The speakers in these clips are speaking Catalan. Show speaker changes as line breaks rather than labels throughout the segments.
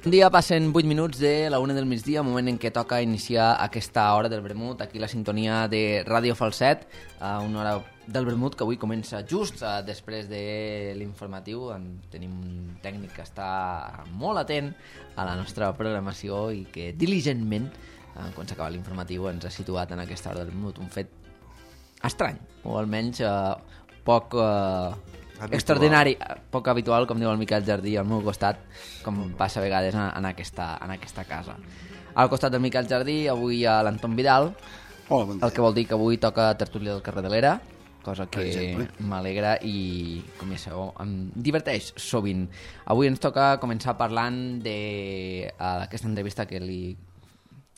Un dia passen 8 minuts de la 1 del migdia, moment en què toca iniciar aquesta hora del vermut, aquí la sintonia de Ràdio Falset, una hora del vermut que avui comença just després de l'informatiu. Tenim un tècnic que està molt atent a la nostra programació i que diligentment, quan s'acaba l'informatiu, ens ha situat en aquesta hora del vermut. Un fet estrany, o almenys poc... extraordinari, poc habitual, com diu el Miquel Jardí al meu costat, com passa a vegades en aquesta casa. Al costat del Miquel Jardí avui hi ha l'Anton Vidal.
Hola, bon dia.
El que vol dir que avui toca tertúlia del carrer de l'Era, cosa que m'alegra i, com ja sabeu, em diverteix sovint. Avui ens toca començar parlant d'aquesta entrevista que li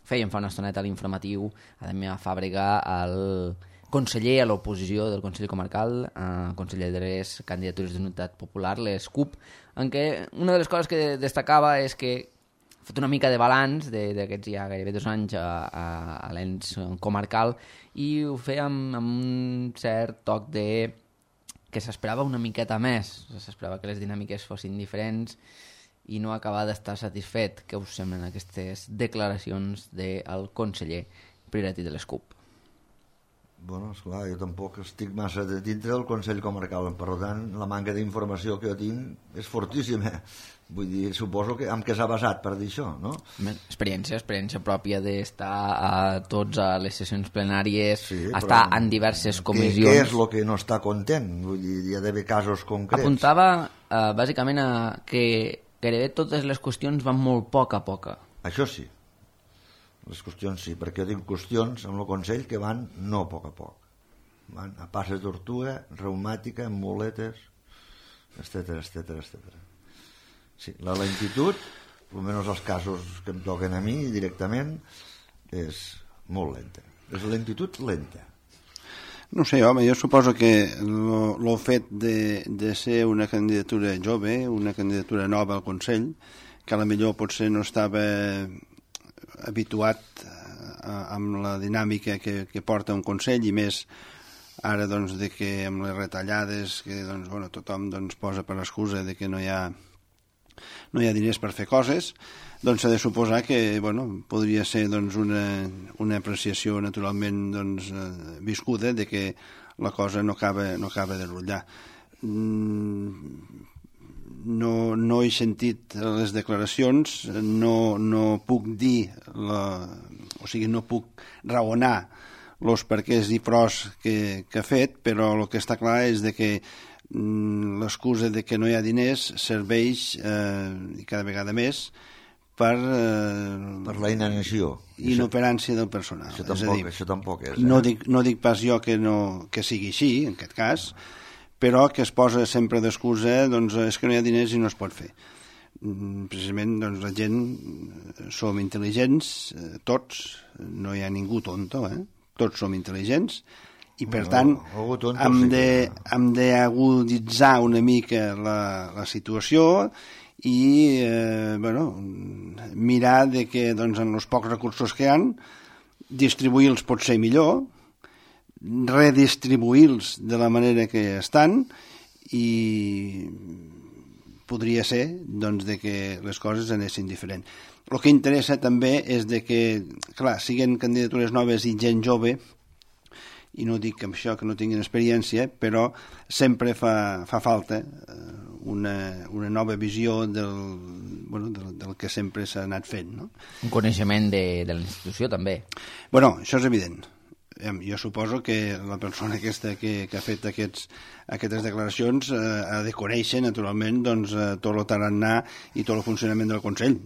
fèiem fa una estoneta a l'informatiu a Damià Fàbrega, al conseller a l'oposició del Consell Comarcal, conseller de les candidatures d'Unitat Popular, les CUP, en què una de les coses que destacava és que ha fet una mica de balanç d'aquests ja gairebé 2 anys a l'ens comarcal, i ho feia amb un cert toc de que s'esperava una miqueta més, s'esperava que les dinàmiques fossin diferents i no acaba d'estar satisfet. Què us semblen aquestes declaracions del conseller Priorat de les CUP?
Bueno, esclar, jo tampoc estic massa dintre del Consell Comarcal, per tant, la manca d'informació que jo tinc és fortíssima. Vull dir, suposo que amb què s'ha basat per dir això, no?
Experiència pròpia d'estar a les sessions plenàries, sí, estar en diverses comissions.
Què és el que no està content? Vull dir, hi ha d'haver casos concrets.
Apuntava, bàsicament, que gairebé totes les qüestions van molt poc a poc.
Això sí. Les qüestions sí, perquè jo tinc qüestions amb el Consell que van no a poc a poc. Van a passes tortuga, reumàtica, amb muletes, etcètera. Sí, la lentitud, almenys els casos que em toquen a mi directament, és molt lenta. És lentitud lenta.
No sé, home, jo suposo que el fet de ser una candidatura jove, una candidatura nova al Consell, que a la millor potser no estava habituat amb la dinàmica que porta un Consell, i més ara doncs, de que amb les retallades que doncs, bueno, tothom doncs, posa per l'excusa de que no hi ha diners per fer coses, doncs s'ha de suposar que bueno, podria ser doncs, una apreciació naturalment doncs, viscuda de que la cosa no acaba de rutllar. No he sentit les declaracions, no puc dir, no puc raonar els perquès i pros que ha fet, però el que està clar és de que l'excusa de que no hi ha diners serveix, i cada vegada més, per
la inanició.
Inoperància del personal.
Això tampoc és.
No dic pas jo que sigui així, en aquest cas, però que es posa sempre d'excusa, doncs és que no hi ha diners i no es pot fer. Precisament, doncs, la gent som intel·ligents, tots, no hi ha ningú tonto, tots som intel·ligents, i per tant hem d'aguditzar una mica la situació i mirar de que doncs, en els pocs recursos que hi ha, distribuir-los pot ser millor, redistribuir-los de la manera que estan, i podria ser doncs, de que les coses anessin diferent. El que interessa també és de que, clar, siguin candidatures noves i gent jove, i no dic amb això que no tinguin experiència, però sempre fa falta una nova visió del que sempre s'ha anat fent. No?
Un coneixement de la institució també.
Bueno, això és evident. Jo suposo que la persona aquesta que ha fet aquestes declaracions ha de conèixer, naturalment, doncs, tot el tarannà i tot el funcionament del Consell.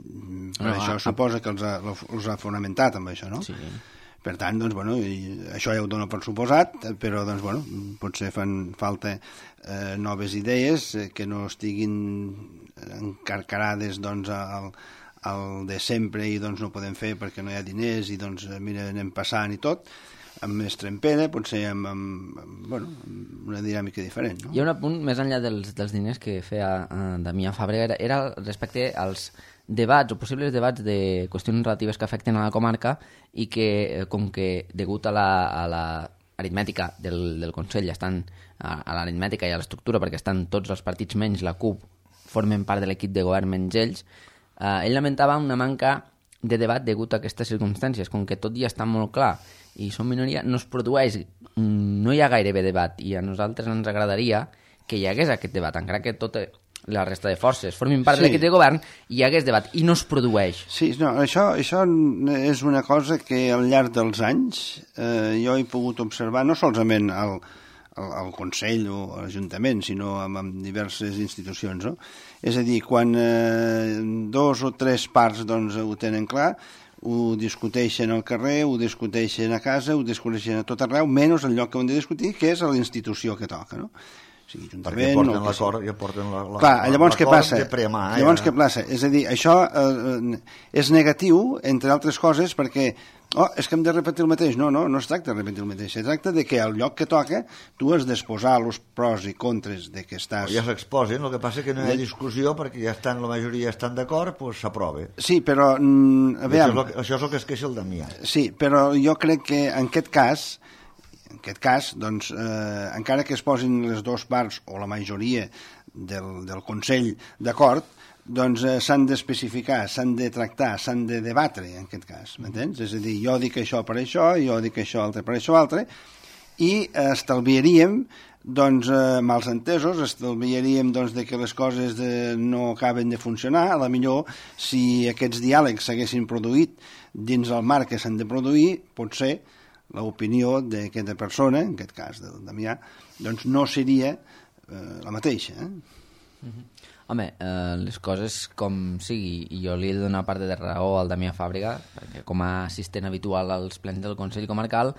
Això suposa que els ha fonamentat amb això, no? Sí. Per tant, doncs, bueno, això ja ho dono per suposat, però doncs, bueno, potser fan falta noves idees que no estiguin encarcarades doncs, al de sempre i doncs, no podem fer perquè no hi ha diners i doncs, mira, anem passant i tot, amb més trempera, potser amb una dinàmica diferent. No?
Hi ha un apunt més enllà dels diners que feia Damià Fàbrega, era respecte als debats o possibles debats de qüestions relatives que afecten a la comarca i que, com que degut a la aritmètica del Consell, estan a l'aritmètica i a l'estructura, perquè estan tots els partits menys la CUP, formen part de l'equip de govern menys ells, ell lamentava una manca de debat degut a aquestes circumstàncies, com que tot ja està molt clar i som minoria, no es produeix, no hi ha gairebé debat, i a nosaltres ens agradaria que hi hagués aquest debat, encara que tota la resta de forces formin part de l'equip de govern, hi hagués debat, i no es produeix.
Sí, no, això és una cosa que al llarg dels anys jo he pogut observar, no solament al Consell o a l'Ajuntament, sinó amb diverses institucions, no? És a dir, quan 2 o 3 parts doncs, ho tenen clar, ho discuteixen al carrer, ho discuteixen a casa, ho discuteixen a tot arreu, menys el lloc que ho han de discutir, que és a la institució que toca, no? Sí,
perquè porten l'acord i porten l'acord.
Clar, llavors què passa? Llavors què passa? És a dir, això és negatiu, entre altres coses, perquè és que hem de repetir el mateix. No es tracta de repetir el mateix. Es tracta de que al lloc que toca tu has d'exposar els pros i contres de que estàs...
Ja s'exposen, el que passa és que no hi ha discussió perquè ja estan, la majoria estan d'acord, doncs s'aprova.
Sí, però...
Això és el que es queixa el Damià.
Sí, però jo crec que en aquest cas, doncs, encara que es posin les dues parts o la majoria del Consell d'acord, doncs s'han d'especificar, s'han de tractar, s'han de debatre, en aquest cas, m'entens? És a dir, jo dic això per això, jo dic això altre per això altre, i estalviaríem doncs, mals entesos, estalviaríem doncs, de que les coses no acaben de funcionar. A la millor, si aquests diàlegs s'haguessin produït dins el marc que s'han de produir, potser l'opinió d'aquesta persona, en aquest cas del Damià, doncs no seria la mateixa.
Home, les coses com sigui, i jo li he de donar part de raó al Damià Fàbrega, perquè com a assistent habitual als plens del Consell Comarcal,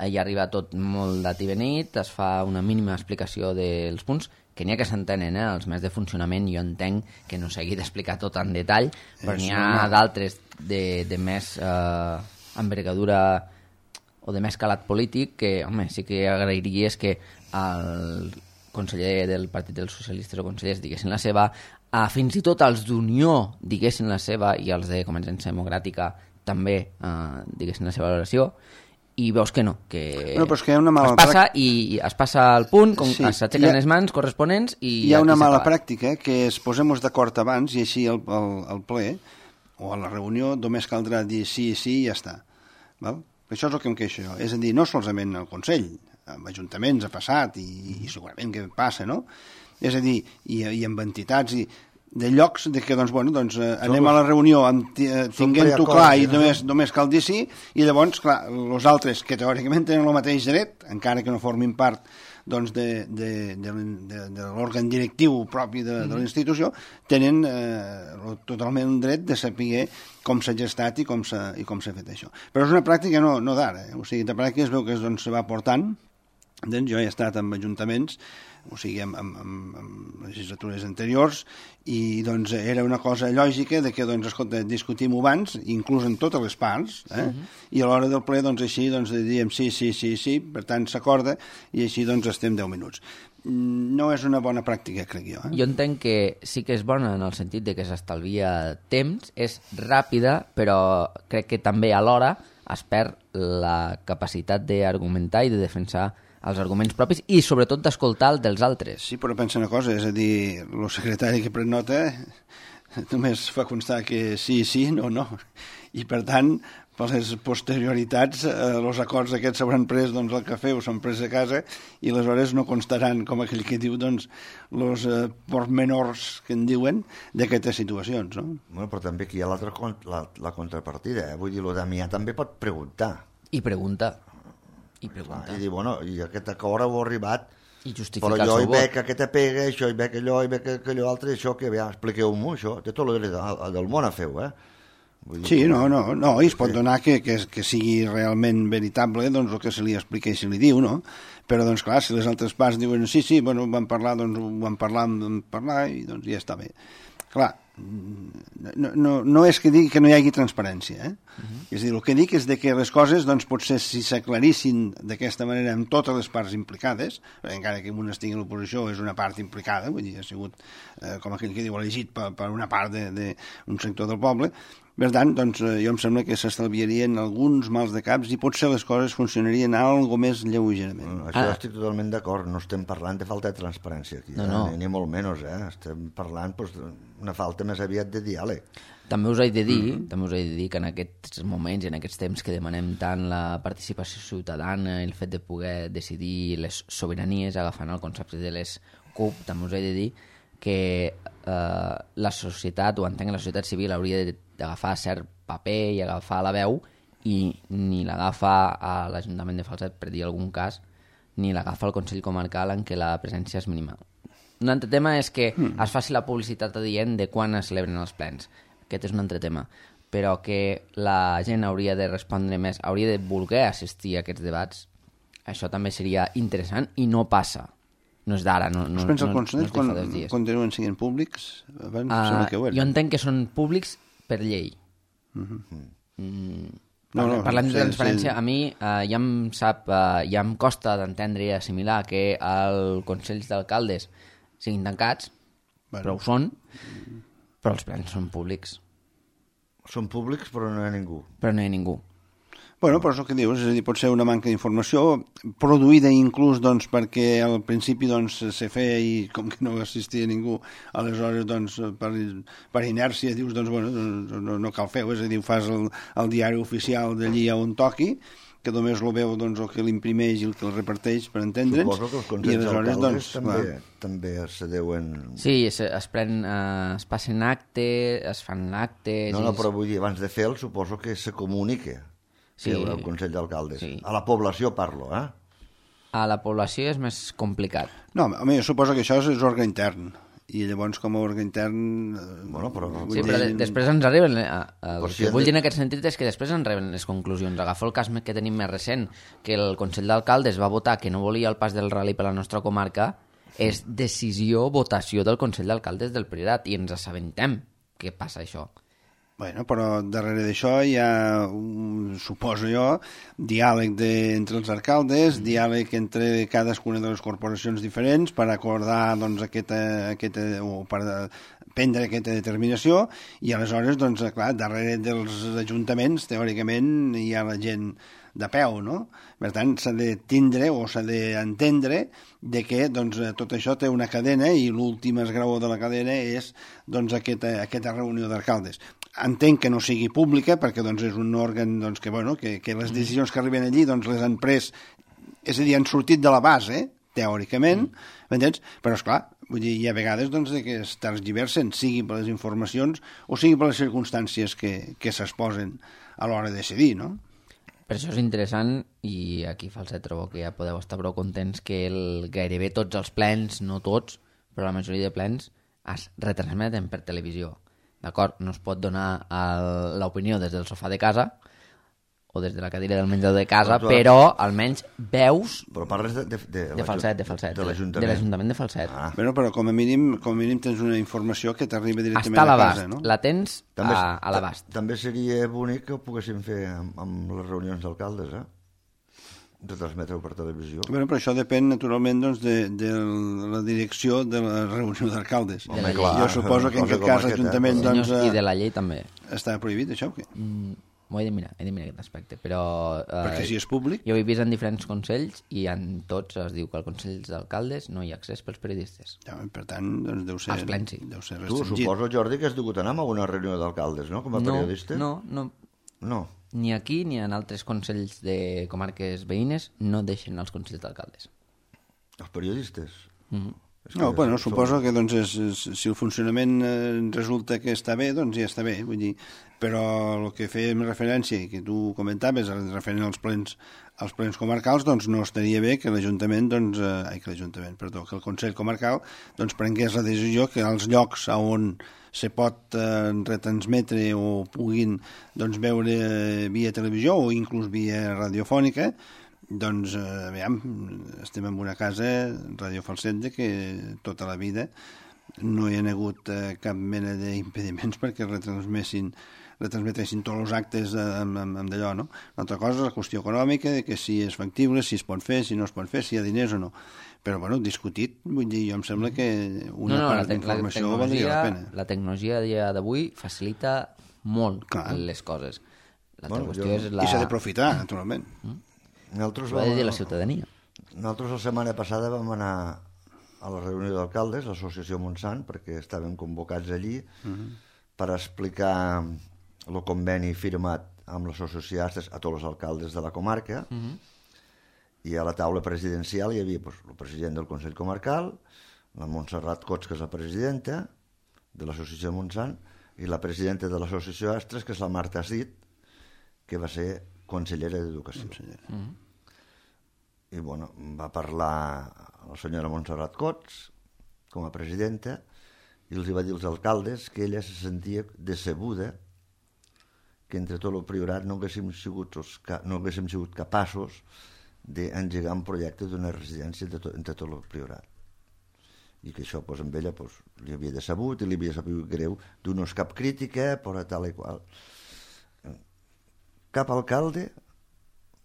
hi arriba tot molt dat i benit, es fa una mínima explicació dels punts, que n'hi ha que s'entenen, els més de funcionament, jo entenc que no s'hagi d'explicar tot en detall, però n'hi ha d'altres de més envergadura o de més calat polític que, home, sí que agrairia és que el conseller del Partit dels Socialistes o consellers diguessin la seva, fins i tot els d'Unió diguessin la seva i els de Convergència Democràtica també diguessin la seva valoració, i veus que no, que,
però és que hi ha una mala
es passa al punt, s'aixequen les mans corresponents i
hi ha una mala pràctica que es posem-nos d'acord abans i així al ple o a la reunió només caldrà dir sí i ja està, val? Això és el que em queixo jo. És a dir, no solament al Consell, amb ajuntaments ha passat i segurament que passa, no? És a dir, i amb entitats i de llocs de que, doncs, bueno, doncs, anem a la reunió tinguent-ho clar i només cal dir sí, i llavors, clar, els altres que teòricament tenen el mateix dret, encara que no formin part doncs, de l'òrgan directiu propi de la institució, tenen totalment un dret de saber com s'ha gestat i com s'ha fet això. Però és una pràctica no d'ara, o sigui, de pràctica es veu que doncs, se va portant. Jo he estat en ajuntaments, o sigui, amb legislatures anteriors, i doncs era una cosa lògica de que, doncs, escolta, discutim abans, inclús en totes les parts, i a l'hora del ple, doncs, així, doncs, diem sí, per tant, s'acorda, i així, doncs, estem 10 minuts. No és una bona pràctica, crec jo.
Jo entenc que sí que és bona en el sentit de que s'estalvia temps, és ràpida, però crec que també alhora es perd la capacitat d'argumentar i de defensar els arguments propis i sobretot d'escoltar el dels altres.
Sí, però pensa una cosa, és a dir, el secretari que pren nota només fa constar que sí, no. I per tant, per les posterioritats, els acords aquests s'hauran pres doncs, al cafè o s'han pres a casa i aleshores no constaran, com aquell que diu, doncs, els pormenors que en diuen d'aquestes situacions, no?
Bueno, però també aquí hi ha la contrapartida, vull dir, el Damià també pot preguntar.
I pregunta.
I dir, bueno, i aquest acord heu arribat,
i justificar
però jo hi veig aquesta pega, això, hi veig allò, hi veig allò altre, això, que ja, expliqueu-m'ho, això, té tot el dret del món a fer-ho,
Sí, no, i es pot donar que sigui realment veritable doncs, el que se li explica i se li diu, no? Però, doncs, clar, si les altres parts diuen sí, bueno, vam parlar i doncs ja està bé. Clar, no és que digui que no hi hagi transparència, És a dir, el que dic és que les coses, doncs, potser si s'aclarissin d'aquesta manera amb totes les parts implicades, encara que un estigui a l'oposició és una part implicada, vull dir, ha sigut, com aquell que diu, elegit per una part d'un sector del poble, Per tant, doncs, jo em sembla que s'estalviarien alguns mals de caps i potser les coses funcionarien algo més lleugerament.
Això estic totalment d'acord, no estem parlant de falta de transparència aquí, ni molt menys, estem parlant d'una falta més aviat de diàleg.
També us he de dir que en aquests moments i en aquests temps que demanem tant la participació ciutadana i el fet de poder decidir les sobiranies agafant el concepte de les CUP, també us he de dir que la societat, o entenc que la societat civil hauria d'agafar cert paper i agafar la veu, i ni l'agafa a l'Ajuntament de Falset, per dir algun cas, ni l'agafa al Consell Comarcal, en què la presència és mínima. Un altre tema és que es faci la publicitat adient de quan es celebren els plens. Aquest és un altre tema. Però que la gent hauria de respondre més, hauria de voler assistir a aquests debats, això també seria interessant i no passa. No és d'ara, no és de fa 2 dies.
Continuen sent públics? Abans
jo entenc que són públics per llei. Parlant de transparència, a mi ja em costa d'entendre i assimilar que els consells d'alcaldes siguin tancats, però ho són, però els plens són públics.
Són públics, però no hi ha ningú.
Però no hi ha ningú.
Bueno, però és el que dius, és a dir, pot ser una manca d'informació produïda inclús doncs, perquè al principi doncs, se feia i com que no assistia ningú, aleshores doncs, per inèrcia dius doncs, bueno, no cal fer-ho, és a dir, ho fas el diari oficial d'allí on toqui, que només lo veu doncs, el que l'imprimeix i el que el reparteix, per entendre'ns.
Suposo que els consells d'alcaldes també se deuen...
Sí, es passen actes, es fan actes...
No, però vull dir, abans de fer-lo, suposo que se comunica. Sí, el Consell d'Alcaldes. Sí. A la població parlo,
A la població és més complicat.
No, home, jo suposo que això és òrgan intern. I llavors, com a òrgan intern...
Bueno, però...
Sí, però després ens arriben... El que vull dir en aquest sentit és que després ens arriben les conclusions. Agafo el cas que tenim més recent, que el Consell d'Alcaldes va votar que no volia el pas del rally per la nostra comarca, és decisió, votació del Consell d'Alcaldes del Priorat, i ens assabentem què passa això.
Bueno, però darrere d'això hi ha, suposo jo, diàleg entre els alcaldes, diàleg entre cadascuna de les corporacions diferents per acordar doncs, o per prendre aquesta determinació, i aleshores, doncs, clar, darrere dels ajuntaments, teòricament, hi ha la gent de peu, no? Per tant, s'ha de tindre o s'ha d'entendre de que doncs, tot això té una cadena i l'últim esgraó de la cadena és doncs, aquesta reunió d'alcaldes. Entenc que no sigui pública perquè doncs, és un òrgan doncs, que les decisions que arriben allí doncs, les han pres, és a dir, han sortit de la base, teòricament, m'entens? Però, esclar, vull dir, hi ha vegades doncs, que es tergiversen, sigui per les informacions o sigui per les circumstàncies que s'exposen a l'hora de decidir, no?
Per això és interessant, i aquí Falset trobo que ja podeu estar prou contents, que gairebé tots els plens, no tots, però la majoria de plens, es retransmeten per televisió. D'acord? No es pot donar l'opinió des del sofà de casa o des de la cadira del menjador de casa, però almenys veus...
Però parles de
Falset. De l'Ajuntament de Falset.
Bueno, però com a mínim tens una informació que t'arriba directament
a
casa, no?
La tens a l'abast.
També seria bonic que ho poguéssim fer amb les reunions d'alcaldes, retransmetre-ho per televisió.
Bueno, però això depèn naturalment doncs, de la direcció de la reunió d'alcaldes. Jo suposo que en aquest cas l'Ajuntament...
I de la llei també.
Està prohibit això o què?
M'ho he de mirar aquest aspecte, però...
Perquè si és públic...
Jo ho he vist en diferents consells i en tots es diu que als consells d'alcaldes no hi ha accés pels periodistes.
Ja, per tant, doncs deu ser...
Els plens, sí.
Deu ser
tu, suposo, Jordi, que has dugut anar a una reunió d'alcaldes, no?, com a periodista?
No. Ni aquí ni en altres consells de comarques veïnes no deixen els consells d'alcaldes.
Els periodistes?
No, bueno, suposo que doncs, si el funcionament resulta que està bé, doncs ja està bé, vull dir, però el que fèiem referència i que tu comentaves referent als plens comarcals, doncs no estaria bé que l'Ajuntament, que el Consell Comarcal doncs prengués la decisió que als llocs on se pot retransmetre o puguin doncs, veure via televisió o inclús via radiofònica, doncs, estem en una casa, Ràdio Falset, que tota la vida no hi ha hagut cap mena d'impediments perquè retransmetessin tots els actes amb d'allò, no? Una altra cosa és la qüestió econòmica, de que si és factible, si es pot fer, si no es pot fer, si hi ha diners o no. Però, bueno, discutit, vull dir, jo em sembla que una part d'informació valdria la pena.
La tecnologia a dia d'avui facilita molt les coses. L'altra qüestió és la...
I s'ha d'aprofitar, naturalment.
Nosaltres
Ho ha de dir la ciutadania.
Nosaltres la setmana passada vam anar a la reunió d'alcaldes, l'associació Montsant, perquè estàvem convocats allí per explicar el conveni firmat amb les associacions a tots els alcaldes de la comarca, i a la taula presidencial hi havia el president del Consell Comarcal, la Montserrat Cots, que és la presidenta de l'associació Montsant, i la presidenta de l'associació Astres, que és la Marta Cid, que va ser consellera d'Educació. I bueno, va parlar la senyora Montserrat Cots com a presidenta i els va dir als alcaldes que ella se sentia decebuda que entre tot el priorat no haguéssim sigut capaços d'engegar un projecte d'una residència entre tot el priorat, i que això amb ella li havia decebut i li havia sabut greu, no és cap crítica però tal i qual. Cap alcalde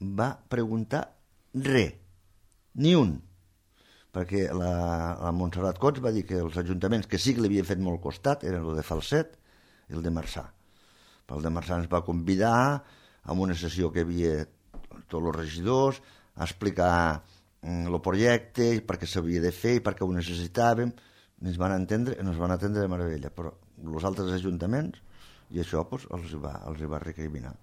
va preguntar res, ni un, perquè la Montserrat Cots va dir que els ajuntaments que sí que li havien fet molt costat eren el de Falset i el de Marçà. El de Marçà ens va convidar a una sessió que hi havia tots els regidors a explicar el projecte i per què s'havia de fer i per què ho necessitàvem. Ens van atendre de meravella, però els altres ajuntaments, i això els va recriminar.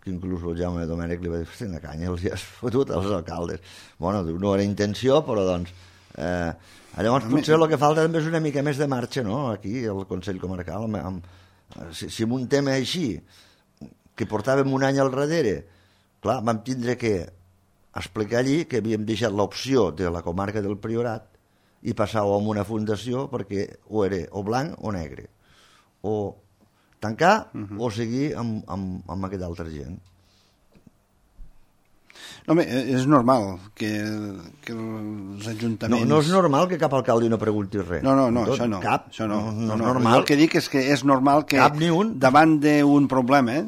Que inclús el Jaume Domènech li va dir, una canya, els has fotut als alcaldes. Bueno, no era intenció, però doncs... llavors potser el que falta també és una mica més de marxa, no?, aquí, al Consell Comarcal. Si en un tema així, que portàvem un any al darrere, clar, vam tindre que explicar allí que havíem deixat l'opció de la comarca del Priorat i passar-ho a una fundació perquè o era o blanc o negre. O tancar o seguir amb aquesta altra gent.
No, home, és normal que els ajuntaments...
No és normal que cap alcalde no pregunti res.
No, això no.
Cap,
això no.
No és normal.
El que dic és que és normal que davant d'un problema,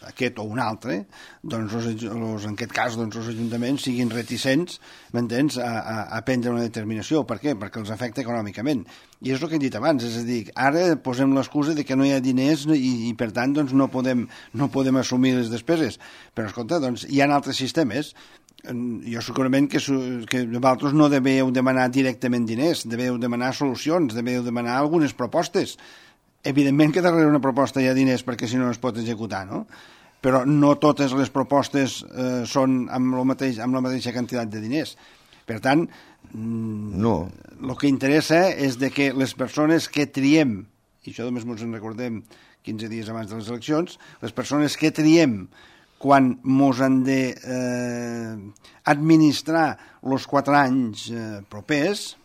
aquest o un altre, doncs en aquest cas els ajuntaments siguin reticents, m'entens, a prendre una determinació. Per què? Perquè els afecta econòmicament. I és el que he dit abans, és a dir, ara posem l'excusa de que no hi ha diners i per tant doncs, no podem assumir les despeses. Però escolta, doncs, hi ha altres sistemes. Jo segurament que vosaltres no deveu demanar directament diners, deveu demanar solucions, deveu demanar algunes propostes. Evidentment que darrere una proposta hi ha diners perquè si no es pot executar, no? Però no totes les propostes són amb la mateixa quantitat de diners. Per tant, el que interessa és de que les persones que triem, i això només ens en recordem 15 dies abans de les eleccions, les persones que triem quan ens han d'administrar els 4 anys propers,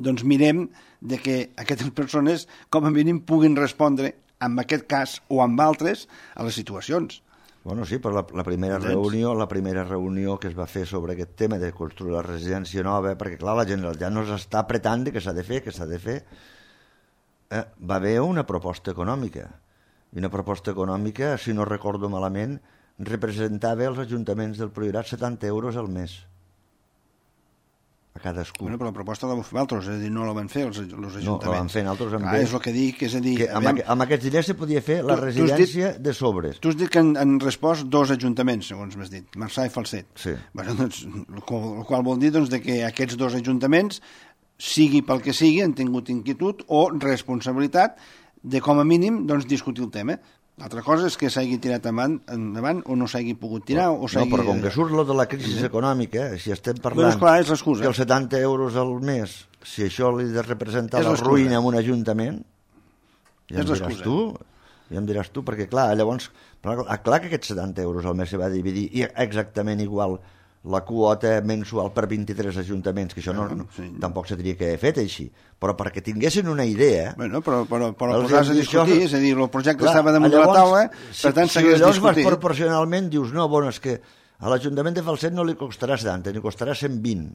doncs mirem de que aquestes persones com a mínim puguin respondre en aquest cas o amb altres a les situacions.
Bueno, sí, però la primera reunió que es va fer sobre aquest tema de construir la residència nova, perquè clar, la Generalitat no s'està apretant que s'ha de fer, va haver una proposta econòmica. I una proposta econòmica, si no recordo malament, representava als ajuntaments del Priorat 70 euros al mes a cadascú.
Bueno, però la proposta la vam fer altres, és a dir, no la van fer els ajuntaments.
No, la van fer altres amb
ells. És el que dic, és a dir...
Que amb aquests diners se podia fer la residència de sobres.
Tu has dit que han respost 2 ajuntaments, segons m'has dit, Marçà i Falset.
Sí.
Bueno, doncs, el qual vol dir doncs, que aquests 2 ajuntaments, sigui pel que sigui, han tingut inquietud o responsabilitat de, com a mínim, doncs, discutir el tema. L'altra cosa és que s'hagi tirat endavant o no s'hagi pogut tirar o s'hagi...
No, però com que surt lo de la crisi econòmica, si estem parlant
és clar, és l'excusa.
Que els 70 euros al mes, si això li de representar la ruïna en un ajuntament, ja em diràs tu, perquè clar, llavors, clar que aquests 70 euros al mes se va dividir exactament igual la quota mensual per 23 ajuntaments, que això tampoc s'hauria que haver fet així, però perquè tinguessin una idea...
Bueno, però posar-se a discutir, és a dir, el projecte estava damunt de la taula, per tant s'hagués discutit.
Si llavors proporcionalment dius, no, bueno, és que a l'Ajuntament de Falset no li costarà 70, ni costarà 120,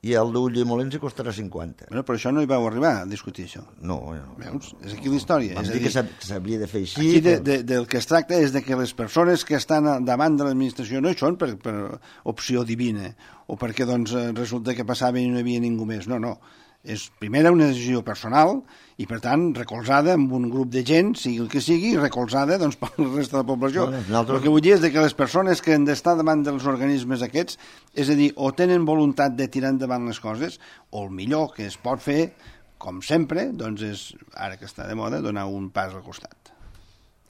i al d'Ulldemolins hi costarà 50.
Bueno, però això no hi vau arribar a discutir, això.
No.
Veus? És aquí la història.
Vam dir que s'havia de fer així.
Aquí del que es tracta és de que les persones que estan davant de l'administració no hi són per opció divina o perquè doncs, resulta que passava i no hi havia ningú més. No. És, primera, una decisió personal i, per tant, recolzada amb un grup de gent, sigui el que sigui, recolzada doncs, per la resta de la població. El que vull dir és que les persones que han d'estar davant dels organismes aquests, és a dir, o tenen voluntat de tirar endavant les coses, o el millor que es pot fer, com sempre, doncs és, ara que està de moda, donar un pas al costat.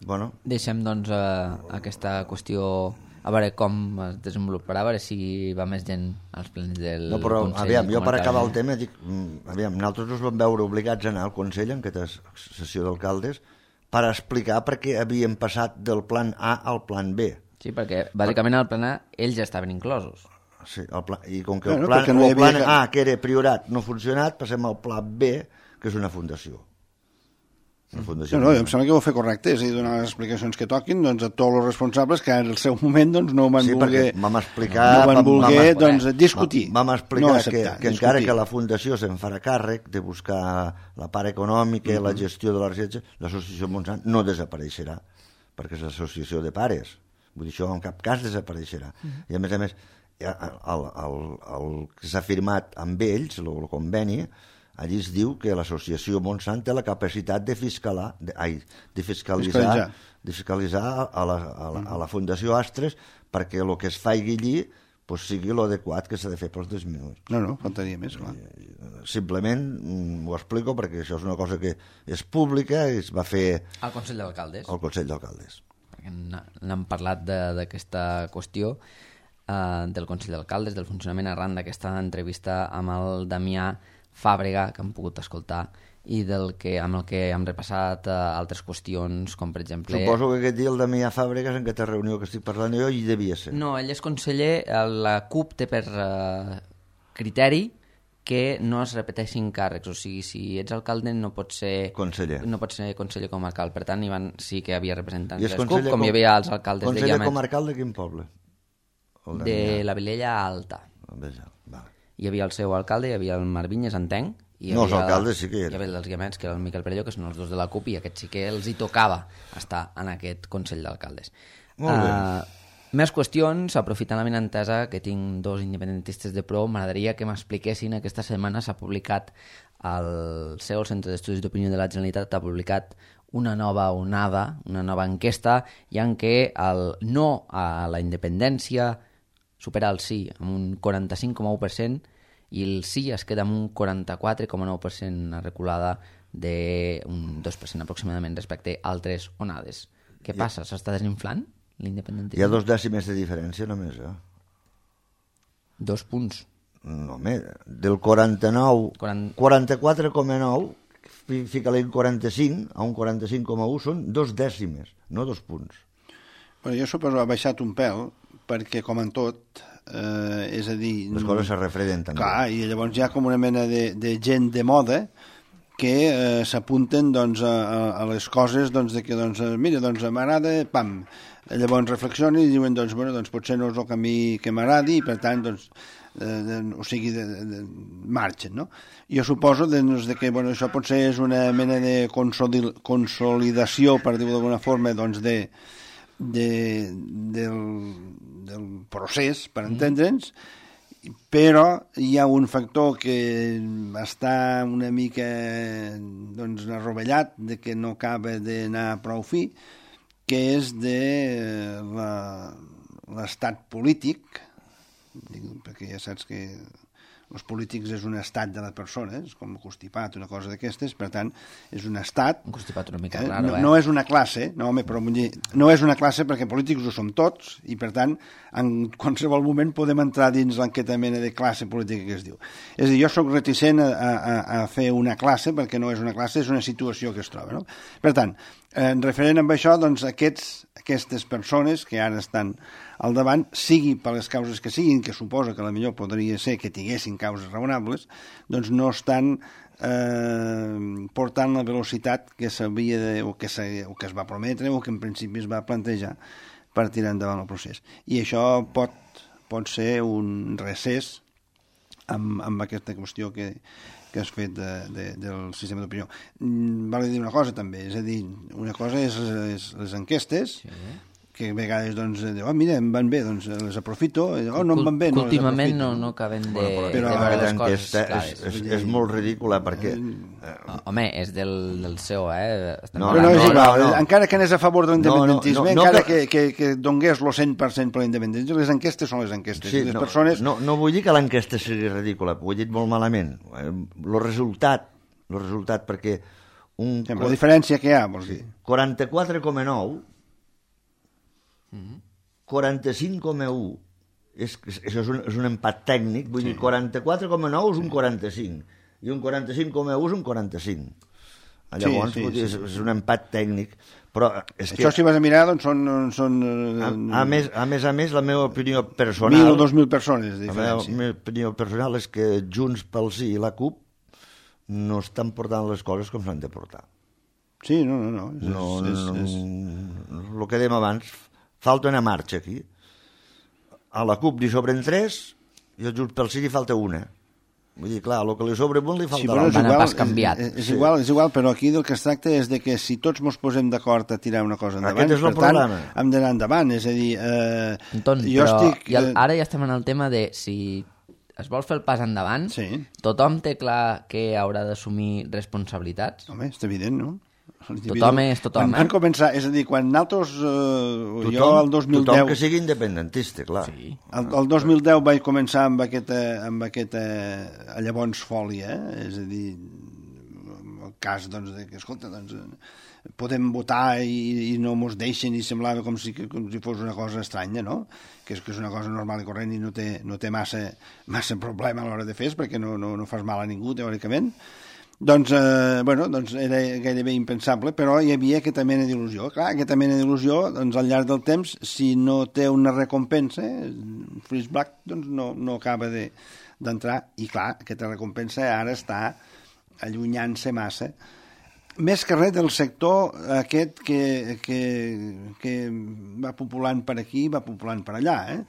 Bueno.
Deixem, doncs, aquesta qüestió a veure com es desenvoluparà, a veure si va més gent als plens del
no, però,
Consell.
Aviam, jo per acabar el tema dic, nosaltres ens vam veure obligats a anar al Consell en aquesta sessió d'alcaldes per explicar per què havíem passat del plan A al plan B.
Sí, perquè bàsicament al plan A ells ja estaven inclosos.
Sí, i com que el plan A, que era priorat, no ha funcionat, passem al pla B, que és una fundació.
No, em sembla que ho va fer correcte, és a dir, donar les explicacions que toquin doncs, a tots els responsables que en el seu moment doncs, no van voler, doncs, discutir.
Vam explicar que encara que la fundació se'n farà càrrec de buscar la part econòmica i la gestió de la recerca, l'associació Montsant no desapareixerà, perquè és l'associació de pares. Vull dir, això en cap cas desapareixerà. I a més, el que s'ha firmat amb ells, el conveni, allí es diu que l'associació Montsant té la capacitat de fiscalitzar a la Fundació Astres perquè el que es faci allí pues, sigui l'adequat que s'ha de fer pels disminuïts.
No, faltaria més, clar.
Simplement ho explico perquè això és una cosa que és pública i es va fer...
Al Consell d'Alcaldes.
Al Consell d'Alcaldes.
N'hem parlat d'aquesta qüestió del Consell d'Alcaldes, del funcionament arran d'aquesta entrevista amb el Damià Fàbrega, que hem pogut escoltar, i amb el que hem repassat altres qüestions, com per exemple...
Suposo que aquest dia el Damià Fàbrega, en aquesta reunió que estic parlant jo, hi devia ser.
No, ell és conseller, la CUP té per criteri que no es repeteixin càrrecs, o sigui, si ets alcalde no pots ser conseller, comarcal, per tant sí que hi havia representants de les CUP, com hi havia els alcaldes de Guiamets.
Conseller comarcal de quin poble?
De la Vilella Alta.
Vale.
Hi havia el seu alcalde, hi havia el Marc Vinyes, entenc.
No, els alcaldes sí que hi
havia els Guiamets, que era el Miquel Perelló, que són els dos de la CUP, i aquest sí que els hi tocava estar en aquest Consell d'Alcaldes.
Molt bé.
Més qüestions, aprofitant la benentesa que tinc dos independentistes de pro, m'agradaria que m'expliquessin. Aquesta setmana s'ha publicat el CEO, el Centre d'Estudis d'Opinió de la Generalitat, ha publicat una nova onada, una nova enquesta, i en què el no a la independència supera el sí amb un 45,1% i el sí es queda amb un 44,9%, una reculada d'un 2% aproximadament respecte a altres onades. Què passa? S'està desinflant l'independentisme?
Hi ha 2 dècimes de diferència només,
2 punts.
No, home, del 44,9 fica-li 45 a un 45,1 són 2 dècimes, no 2 punts.
Bueno, jo suposo que ha baixat un pèl perquè, com en tot, és a dir...
Les coses se refreden també.
Clar, i llavors hi ha com una mena de gent de moda que s'apunten doncs, a les coses doncs, de que, doncs, mira, doncs, m'agrada, pam. Llavors reflexionen i diuen, doncs, bueno, doncs potser no és el camí que m'agradi i, per tant, doncs, o sigui, marxen, no? Jo suposo que bueno, això potser és una mena de consolidació, per dir-ho d'alguna forma, doncs, del procés, per entendre'ns, però hi ha un factor que està una mica doncs, arrovellat, de que no acaba d'anar prou fi, que és de l'estat polític, perquè ja saps que els polítics és un estat de la persona, és com un constipat, una cosa d'aquestes, per tant, és un estat...
Un constipat una mica raro,
no és una classe, no, home, però no és una classe perquè polítics ho som tots, i per tant, en qualsevol moment podem entrar dins l'enquesta mena de classe política que es diu. És a dir, jo sóc reticent a fer una classe, perquè no és una classe, és una situació que es troba, no? Per tant, referent amb això, doncs, aquestes persones que ara estan al davant, sigui per les causes que siguin, que suposa que la millor podria ser que tinguessin causes raonables, doncs no estan portant la velocitat que s'havia o que es va prometre o que en principi es va plantejar per tirar endavant el procés. I això pot ser un recés amb aquesta qüestió que has fet del sistema d'opinió. Val a dir una cosa també, és a dir, una cosa és les enquestes, sí, que a vegades doncs, diu, mira, em van bé, doncs les aprofito, no em van bé, no les
últimament
aprofito.
no acaben de
però
veure les coses clares.
És molt ridícula perquè...
Home, és del seu,
No, és igual, encara que anés a favor de l'independentisme, encara que donés el 100% per l'independentisme, les enquestes són les enquestes.
Sí,
les persones...
no vull dir que l'enquesta sigui ridícula, ho he dit molt malament. El resultat, perquè...
La diferència que hi ha, vols dir?
44,9 45,1 això és un empat tècnic, vull dir 44,9 és un 45 i un 45,1 és un 45. Llavors és un empat tècnic, però és que...
Això si vas a mirar doncs són
a més la meva opinió personal
1.000 o 2.000 persones de diferència.
La meva opinió personal és que Junts pel Sí i la CUP no estan portant les coses com s'han de portar.
Sí, no.
El que dèiem abans, falta una marxa aquí. A la CUP li sobren 3 i al Junts pel Sí li falta una. Vull dir, clar, el que li sobra un li falta l'altre.
Van a pas canviat.
És igual, però aquí del que es tracta és de que si tots ens posem d'acord a tirar una cosa endavant,
aquest és el problema.
Hem d'anar endavant, és a dir...
Anton, però ara ja estem en el tema de si es vol fer el pas endavant, tothom té clar que haurà d'assumir responsabilitats?
Home, és evident, no?
Tothom és tothom,
Quan van començar, és a dir, quan nosaltres, jo el 2010...
Tothom que sigui independentista, clar.
Sí.
El 2010 vaig començar amb aquesta llavors fòlia, és a dir, el cas, doncs, de que, escolta, doncs, podem votar i no mos deixen i semblava com si fos una cosa estranya, no? Que és una cosa normal i corrent i no té massa problema a l'hora de fer-ho perquè no fas mal a ningú, teòricament. Doncs era gairebé impensable, però hi havia aquesta mena d'il·lusió. Clar, aquesta mena d'il·lusió, doncs, al llarg del temps, si no té una recompensa, Freeze Black doncs, no acaba d'entrar. I clar, aquesta recompensa ara està allunyant-se massa. Més que res del sector aquest que va populant per aquí, va populant per allà,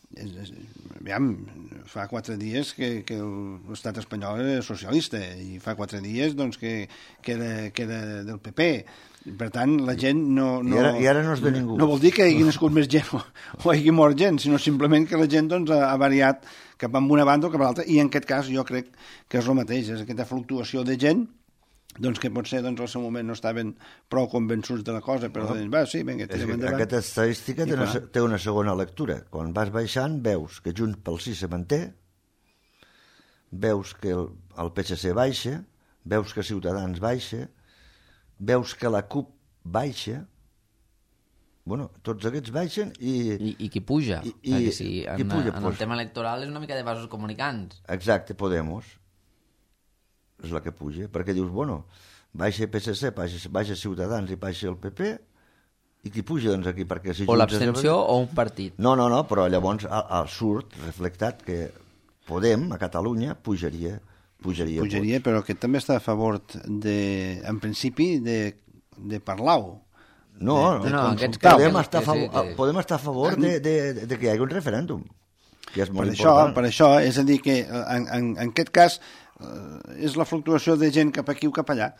Aviam, fa 4 dies que l'estat espanyol era socialista i fa 4 dies doncs, que era del PP. Per tant, la gent no...
I ara no és de ningú.
No vol dir que hagi nascut més gent o hagi mort gent, sinó simplement que la gent doncs, ha variat cap a una banda o cap a l'altra, i en aquest cas jo crec que és el mateix, és aquesta fluctuació de gent doncs que potser doncs, al seu moment no estaven prou convençuts de la cosa, però sí, vinga, tirem endavant.
Aquesta estadística té una segona lectura. Quan vas baixant veus que Junts pel Sí se manté, veus que el PSC baixa, veus que Ciutadans baixa, veus que la CUP baixa, tots aquests baixen i
qui puja? Perquè si
qui puja,
en el tema electoral és una mica de vasos comunicants.
Exacte, Podemos és la que puja, perquè dius, baixa el PSC, baixa Ciutadans i baixa el PP, i qui puja doncs aquí? Perquè si
o l'abstenció o un partit.
No, però llavors surt reflectat que Podem, a Catalunya, pujaria,
però que també està a favor en principi de parlar-ho.
Podem estar a favor de que hi hagi un referèndum, que és molt important.
Per això, és a dir, que en aquest cas és la fluctuació de gent cap aquí o cap allà.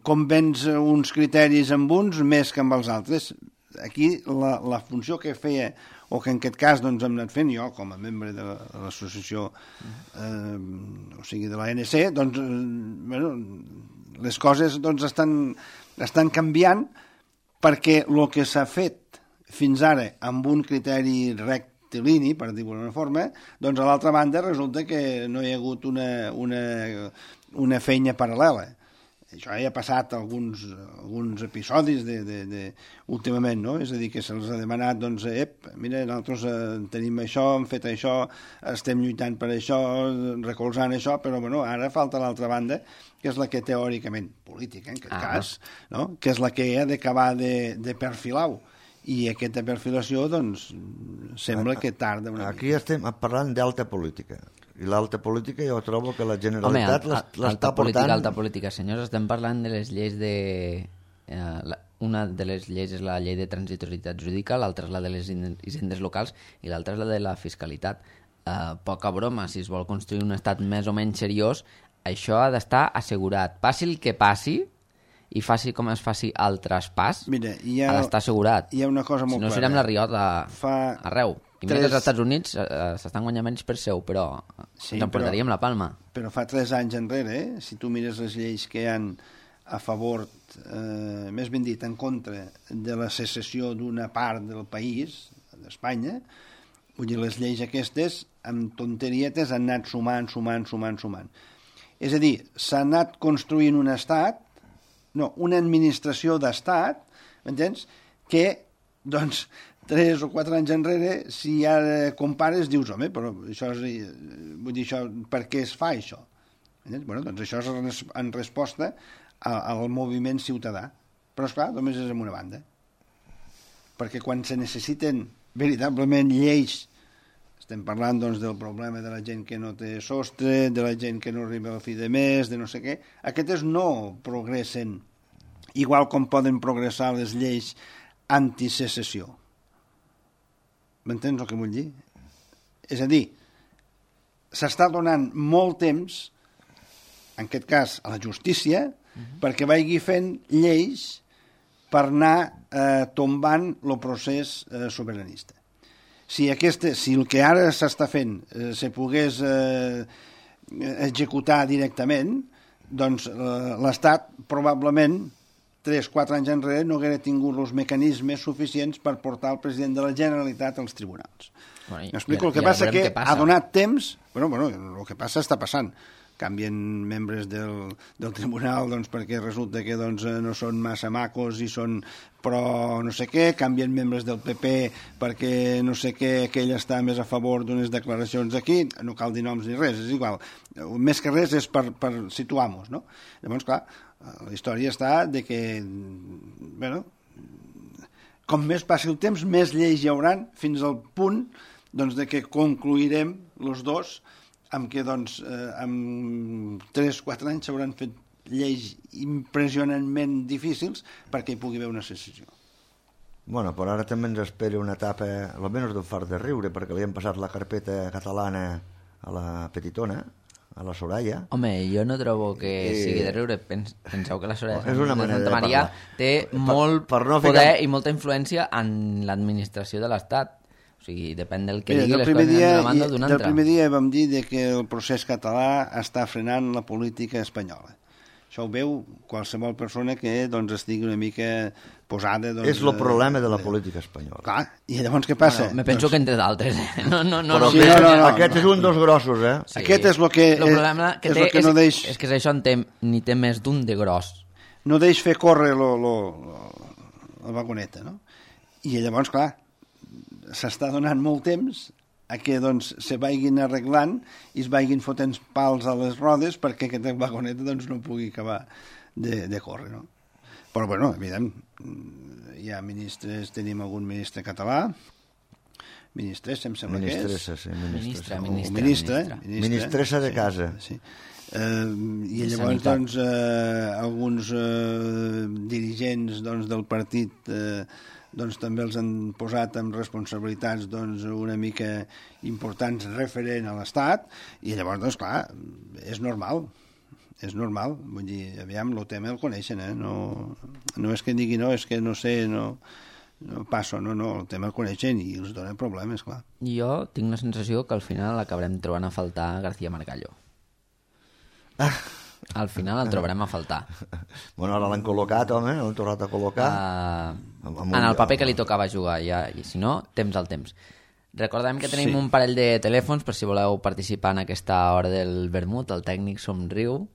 Convenç uns criteris amb uns més que amb els altres. Aquí la funció que feia, o que en aquest cas doncs, hem anat fent jo com a membre de l'associació, o sigui de l'ANC, doncs, les coses doncs, estan canviant perquè el que s'ha fet fins ara amb un criteri recte per dir-ho d'una forma, doncs a l'altra banda resulta que no hi ha hagut una feina paral·lela. Això ja ha passat alguns episodis últimament, no? És a dir, que se'ls ha demanat, doncs, mira, nosaltres tenim això, hem fet això, estem lluitant per això, recolzant això, però ara falta l'altra banda, que és la que teòricament, política en aquest cas, no? Que és la que ha d'acabar de perfilar-ho. I aquesta perfilació, doncs, sembla que tarda una mica.
Aquí estem parlant d'alta política. I l'alta política jo trobo que la Generalitat l'està portant...
Alta política, senyors, estem parlant de les lleis de... Una de les lleis és la llei de transitorietat jurídica, l'altra és la de les hisendes locals i l'altra és la de la fiscalitat. Poca broma, si es vol construir un estat més o menys seriós, això ha d'estar assegurat. Passi el que passi, i faci com es faci el traspàs,
Mira,
ha d'estar assegurat.
Hi ha una cosa molt
si no,
clara.
serem la riota arreu. I mira que els Estats Units s'estan guanyant menys per seu, però ens emportaríem la palma.
Però fa 3 anys enrere, si tu mires les lleis que hi ha a favor, més ben dit, en contra de la secessió d'una part del país, d'Espanya, vull dir, les lleis aquestes, amb tonterietes, han anat sumant. És a dir, s'ha anat construint un estat, una administració d'estat, m'entens? Que, doncs, 3 o 4 anys enrere, si ara compares, dius, home, però això és, vull dir, això, per què es fa això? Bueno, doncs això és en resposta al moviment ciutadà. Però, esclar, només és en una banda. Perquè quan se necessiten veritablement lleis, estem parlant doncs, del problema de la gent que no té sostre, de la gent que no arriba a fi de mes, de no sé què, aquestes no progressen igual com poden progressar les lleis antisecessió. M'entens el que vull dir? És a dir, s'està donant molt temps, en aquest cas a la justícia, perquè vagi fent lleis per anar tombant el procés sobiranista. Si el que ara s'està fent se pogués executar directament, doncs l'Estat probablement 3-4 anys enrere no hauria tingut els mecanismes suficients per portar el president de la Generalitat als tribunals. M'explico? El que passa que ha donat temps... Bueno, el que passa està passant. Canvien membres del tribunal doncs, perquè resulta que doncs, no són massa macos i són pro no sé què, canvien membres del PP perquè no sé què, aquell està més a favor d'unes declaracions aquí, no cal dir noms ni res, és igual. Més que res és per situar-nos, no? Llavors, clar, la història està de que, bueno, com més passi el temps, més lleis hi hauran fins al punt doncs, de que concluirem els dos amb què doncs, en 3-4 anys s'hauran fet lleis impressionantment difícils perquè hi pugui haver una secessió.
Bueno, però ara també ens espera una etapa, almenys d'un fart de riure, perquè li hem passat la carpeta catalana a la petitona, a la Soraya.
Home, jo no trobo que sigui de riure. Penseu que la Soraya
és una manera
de
Santa
Maria té molt poder i molta influència en l'administració de l'Estat. O sigui, depèn del que digui les coses d'una banda o d'una altra.
Del primer dia vam dir que el procés català està frenant la política espanyola. Això ho veu qualsevol persona que doncs, estigui una mica posada... Doncs,
és el problema de la política espanyola.
Clar, i llavors què passa?
Me penso que entre d'altres.
No. Aquest és un dels grossos, eh?
Sí. Aquest és el que...
El problema que té és que això ni té més d'un de gros.
No deix fer córrer la vagoneta, no? I llavors, clar, s'està donant molt temps a que doncs, se vagin arreglant i es vagin fotent pals a les rodes perquè aquesta vagoneta doncs, no pugui acabar de córrer. No? Però, bueno, evident, hi ha ministres, tenim algun ministre català, ministressa, em sembla que és.
Ministressa de casa.
Sí. I llavors doncs, alguns dirigents doncs, del partit doncs, també els han posat amb responsabilitats doncs, una mica importants referent a l'Estat i llavors, doncs, clar, és normal. Vull dir, aviam, el tema el coneixen, no és que digui no, és que no sé, no passo, no, el tema el coneixen i els donen problemes, clar.
Jo tinc la sensació que al final acabarem trobant a faltar García Margallo. Al final el trobarem a faltar.
Bueno, ara l'han col·locat, home, l'han tornat a col·locar.
En el paper que li tocava jugar, ja, i si no, temps al temps. Recordem que tenim un parell de telèfons per si voleu participar en aquesta hora del vermut. El tècnic somriu.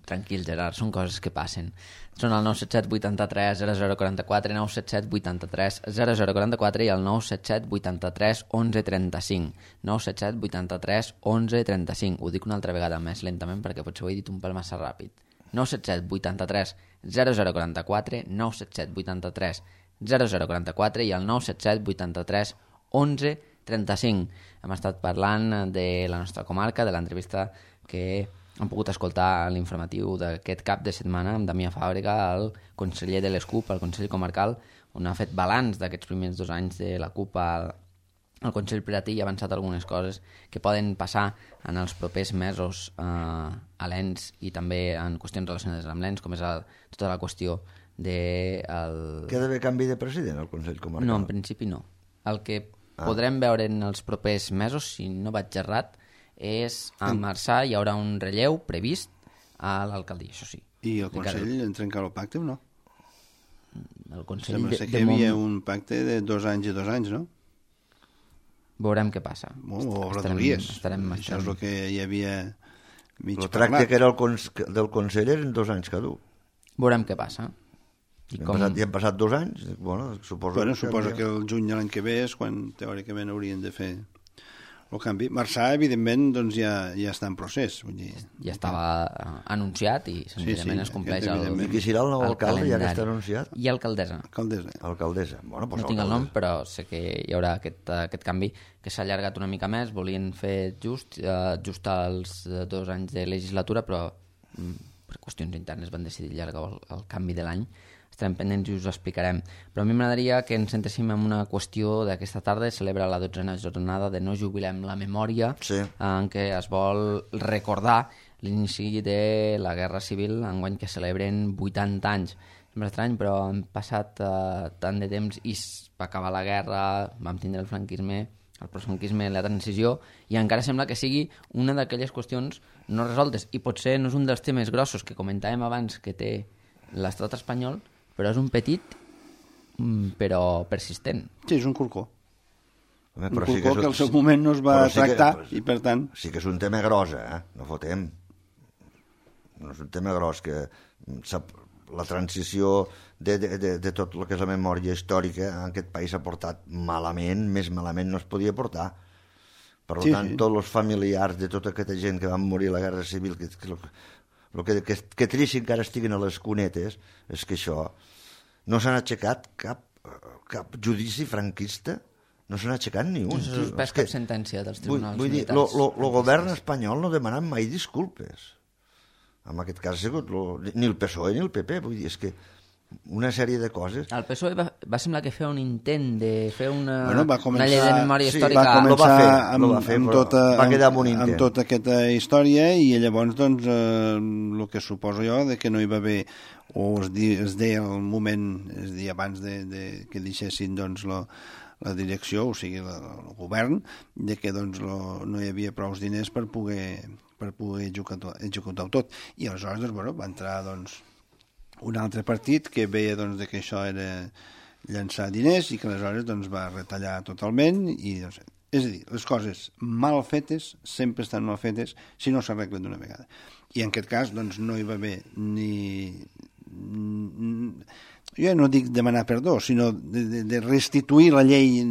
Tranquil, Gerard, són coses que passen. Són el 977 83 0044, 977 83 0044 i el 977 83 11 35. 977 83 11 35. Ho dic una altra vegada més lentament perquè potser ho he dit un pèl massa ràpid. 977 83 0044, 977 83 0044 i el 977 83 11 35. Hem estat parlant de la nostra comarca, de l'entrevista que hem pogut escoltar a l'informatiu d'aquest cap de setmana amb Damià Fàbrega, el conseller de l'ESCUP, al Consell Comarcal, on ha fet balanç d'aquests primers 2 anys de la CUP a el Consell Piratí ja ha avançat algunes coses que poden passar en els propers mesos a l'ENS i també en qüestions relacionades amb l'ENS, com és tota la qüestió de...
Que ha d'haver canvi de president al Consell Comarcal?
No, en principi no. El que podrem veure en els propers mesos, si no vaig errat, és a Marçà hi haurà un relleu previst a l'alcaldia, això sí.
I el Consell trencarà el pacte o no?
El Consell
Sembla que hi havia un pacte de 2 anys i 2 anys, no?
Veurem què passa.
O reduries. Això és el que hi havia mig
parlat. El tracte que era del Consell eren 2 anys cada un.
Veurem què passa.
I han passat 2 anys? Bueno, suposo
que el juny de l'any que ve és quan teòricament haurien de fer el canvi. Marçà, evidentment, doncs ja està en procés. Vull dir,
ja estava anunciat i senzillament es compleix
I qui serà el nou alcalde, ja que està anunciat?
I alcaldessa.
Alcaldessa. Bueno, pues
no tinc el nom, però sé que hi haurà aquest canvi que s'ha allargat una mica més. Volien fer just als 2 anys de legislatura, però per qüestions internes van decidir allargar el canvi de l'any. Estarem pendents i us ho explicarem. Però a mi m'agradaria que ens centréssim en una qüestió d'aquesta tarda. Celebra la 12a jornada de No jubilem la memòria, en què es vol recordar l'inici de la Guerra Civil, enguany que celebren 80 anys. Sembla estrany, però han passat tant de temps i va acabar la guerra, vam tindre el franquisme, el postfranquisme, la transició, i encara sembla que sigui una d'aquelles qüestions no resoltes. I potser no és un dels temes grossos que comentàvem abans que té l'estat espanyol, però és un petit, però persistent.
Sí, és un corcó. Un corcó que al seu moment no es va tractar i, per tant...
Sí que és un tema gros, no fotem. No és un tema gros, que la transició de tot el que és la memòria històrica en aquest país s'ha portat malament, més malament no es podia portar. Per tant, tots els familiars de tota aquesta gent que van morir a la Guerra Civil, que trist encara estiguen a les cunetes, és que això no s'han aixecat cap judici franquista, no s'han aixecat ni un.
No s'ha suspès cap sentència dels tribunals militars.
Vull dir, el govern espanyol no ha demanat mai disculpes. En aquest cas ha sigut ni el PSOE ni el PP, vull dir, és que una sèrie de coses...
El PSOE va semblar que feia un intent de fer una llei de memòria històrica.
Va quedar amb tota aquesta història i llavors, doncs, el que suposo jo de que no hi va haver, o es deia al moment, és a dir, abans que deixessin, doncs, la direcció, o sigui, el govern, de que doncs, no hi havia prou diners per poder executar-ho tot. I aleshores, doncs, bueno, va entrar, doncs, un altre partit que veia doncs, que això era llançar diners i que aleshores doncs, va retallar totalment i, doncs, és a dir, les coses mal fetes sempre estan mal fetes si no s'arreglen d'una vegada. I en aquest cas doncs, no hi va haver ni... Jo no dic demanar perdó, sinó de restituir la llei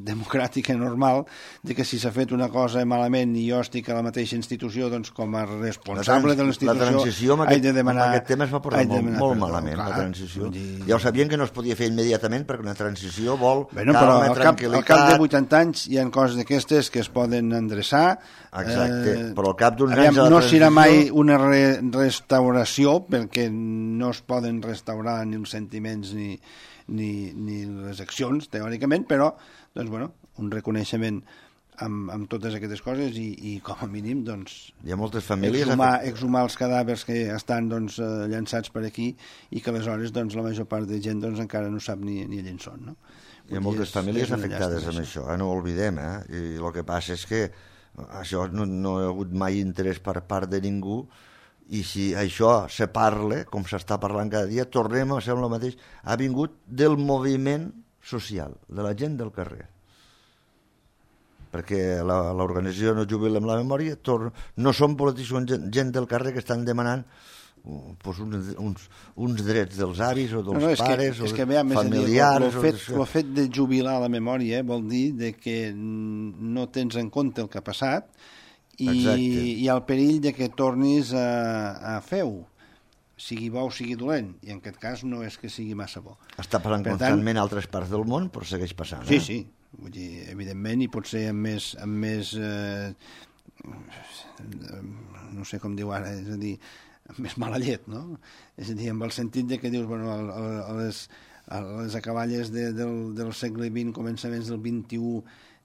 democràtica normal, de que si s'ha fet una cosa malament i jo estic a la mateixa institució, doncs com a responsable de l'institució...
La transició amb aquest tema es va portar molt malament, la transició. Ja ho sabien que no es podia fer immediatament perquè una transició vol calma, tranquil·litat...
Al cap de 80 anys hi ha coses d'aquestes que es poden endreçar.
Exacte, però al cap d'uns anys...
No serà mai una restauració, perquè no es poden restaurar ni els sentiments ni les accions, teòricament, però doncs, bueno, un reconeixement amb totes aquestes coses i com a mínim doncs,
hi ha moltes famílies
exhumar els cadàvers que estan doncs, llançats per aquí i que aleshores doncs, la major part de gent doncs, encara no sap ni on són, no?
Hi ha moltes famílies afectades amb això, no ho oblidem, i el que passa és que això no hi ha hagut mai interès per part de ningú. I si això se parla, com s'està parlant cada dia, tornem a ser el mateix. Ha vingut del moviment social, de la gent del carrer. Perquè l'organització No jubilem la memòria no són polítics, són gent del carrer que estan demanant uns drets dels avis o dels pares o familiars.
El fet de jubilar la memòria vol dir que no tens en compte el que ha passat i el perill de que tornis a fer-ho, sigui bo o sigui dolent, i en aquest cas no és que sigui massa bo.
Està passant constantment a altres parts del món, però segueix passant.
Sí, vull dir, evidentment, i potser amb més no sé com diu ara, és a dir, amb més mala llet, no? És a dir, amb el sentit de que dius, bueno, a les acaballes del segle XX, començaments del XXI,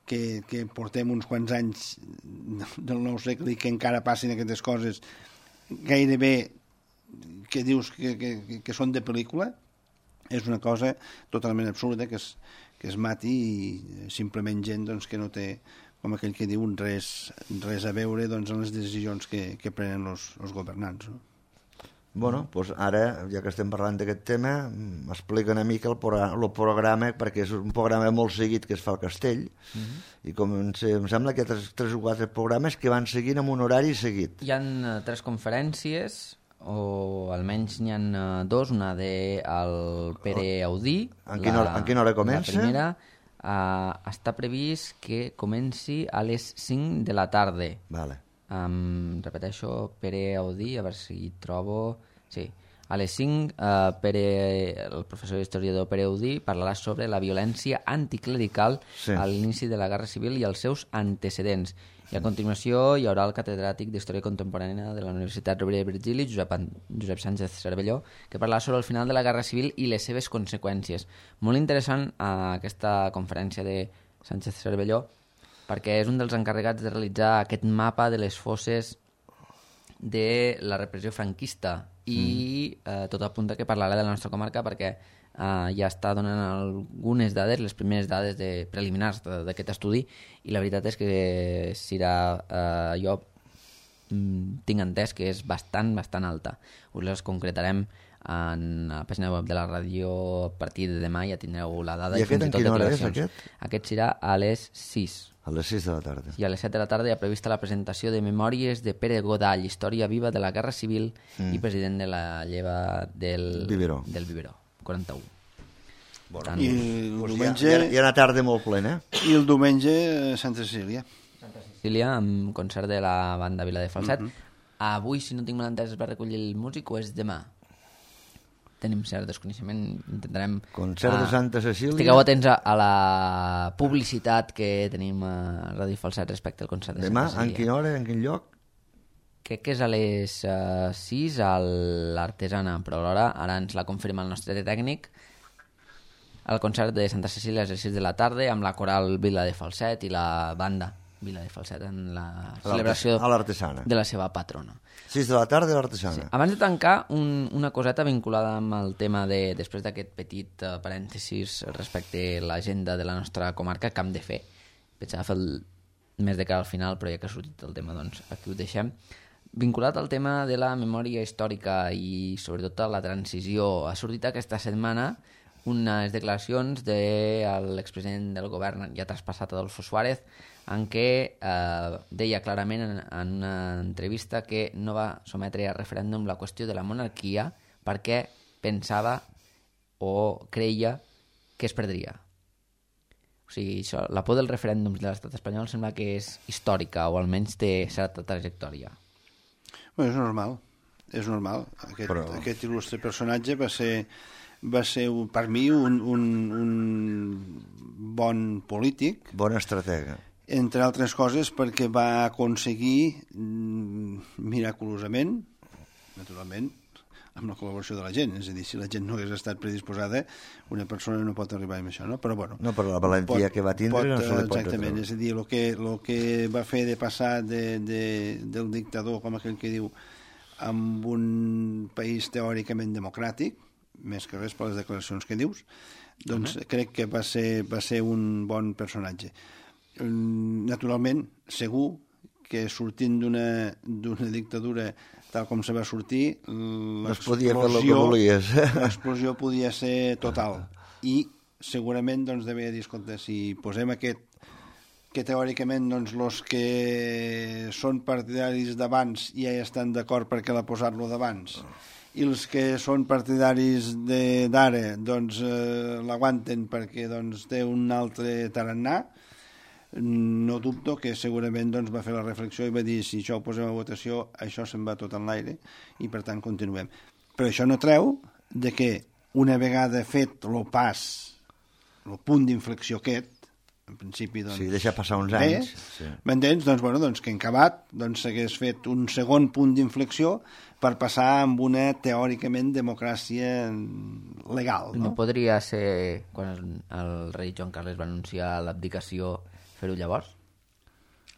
que portem uns quants anys del nou segle i que encara passin aquestes coses gairebé que dius que són de pel·lícula, és una cosa totalment absurda que es mati i simplement gent doncs, que no té, com aquell que diu, res a veure doncs, en les decisions que prenen els governants. No?
Bueno, doncs ara, ja que estem parlant d'aquest tema, m'explica una mica el programa, perquè és un programa molt seguit que es fa al Castell, i em sembla que hi ha 3 o 4 programes que van seguint amb un horari seguit.
Hi ha 3 conferències, o almenys n'hi ha 2, una del Pere Audí.
En quina hora comença?
La primera està previst que comenci a les 5 de la tarda.
Vale.
Repeteixo, Pere Audí, a veure si trobo... Sí, a les 5 el professor historiador Pere Audí parlarà sobre la violència anticlerical a l'inici de la Guerra Civil i els seus antecedents. I a continuació hi haurà el catedràtic d'Història Contemporània de la Universitat Rovira i Virgili, Josep Sánchez Cervelló, que parlarà sobre el final de la Guerra Civil i les seves conseqüències. Molt interessant aquesta conferència de Sánchez Cervelló, perquè és un dels encarregats de realitzar aquest mapa de les fosses de la repressió franquista i tot apunta que parlarà de la nostra comarca perquè ja està donant algunes dades, les primeres dades preliminars d'aquest estudi, i la veritat és que jo tinc entès que és bastant alta. Us les concretarem en la pàgina web de la ràdio. A partir de demà ja tindreu la dada.
I aquest en quina hora és, aquest?
Aquest serà a les 6.
A les 6 de la tarda.
I a les 7 de la tarda hi ha prevista la presentació de Memòries de Pere Godall, història viva de la Guerra Civil i president de la lleva del Biberó 41.
Bueno, i el diumenge...
Hi ha una tarda molt plena.
I el diumenge Santa Cecília.
Santa Cecília, amb concert de la banda Vila de Falset. Avui, si no tinc mal entès, es va recollir el músic o és demà? Tenim cert desconeixement, intentarem...
Concert de Santa Cecília...
Estigueu atents a la publicitat que tenim a Ràdio Falset respecte al concert de
Santa
Cecília.
Demà, en quina hora, en quin lloc?
Crec que és a les 6 a l'Artesana, però l'hora ara ens la confirma el nostre tècnic. El concert de Santa Cecília és a les 6 de la tarda amb la coral Vila de Falset i la banda Vila de Falset en la celebració de la seva patrona.
6 de la tarda a l'Artesana.
Sí. Abans de tancar, una coseta vinculada amb el tema després d'aquest petit parèntesis respecte a l'agenda de la nostra comarca que hem de fer. Pensava fer més de cara al final, però ja que ha sortit el tema, doncs aquí ho deixem. Vinculat al tema de la memòria històrica i sobretot a la transició, ha sortit aquesta setmana unes declaracions de l'expresident del govern ja traspassat Adolfo Suárez, en què deia clarament en una entrevista que no va sometre a referèndum la qüestió de la monarquia perquè pensava o creia que es perdria. O sigui, això, la por dels referèndums de l'estat espanyol sembla que és històrica, o almenys té certa trajectòria.
Bueno, és normal. Aquest il·lustre personatge va ser per mi un bon polític.
Bon estratega.
Entre altres coses perquè va aconseguir miraculosament, naturalment, amb la col·laboració de la gent. És a dir, si la gent no hagués estat predisposada, una persona no pot arribar amb això, no? Però bueno...
No, però la valentia que va tindre no se li pot
exactament, és a dir, el que va fer de passar del dictador, com aquell que diu, amb un país teòricament democràtic, més que res per les declaracions que dius, doncs crec que va ser un bon personatge. Naturalment, segur que sortint d'una dictadura tal com se va sortir, l'explosió podia ser total. I segurament doncs, devia dir, escolta, si posem aquest que teòricament doncs, els que són partidaris d'abans ja hi estan d'acord perquè la posar-lo d'abans, i els que són partidaris d'ara doncs, l'aguanten perquè doncs, té un altre tarannà, no dubto que segurament doncs, va fer la reflexió i va dir si això ho posem a votació això se'n va tot en l'aire i per tant continuem. Però això no treu de que una vegada fet el punt d'inflexió aquest, en principi doncs,
sí, deixa passar uns anys,
m'entens? Doncs, bueno, doncs que en acabat doncs, s'hagués fet un segon punt d'inflexió per passar amb una teòricament democràcia legal.
No podria ser quan el rei Joan Carles va anunciar l'abdicació fer-ho llavors?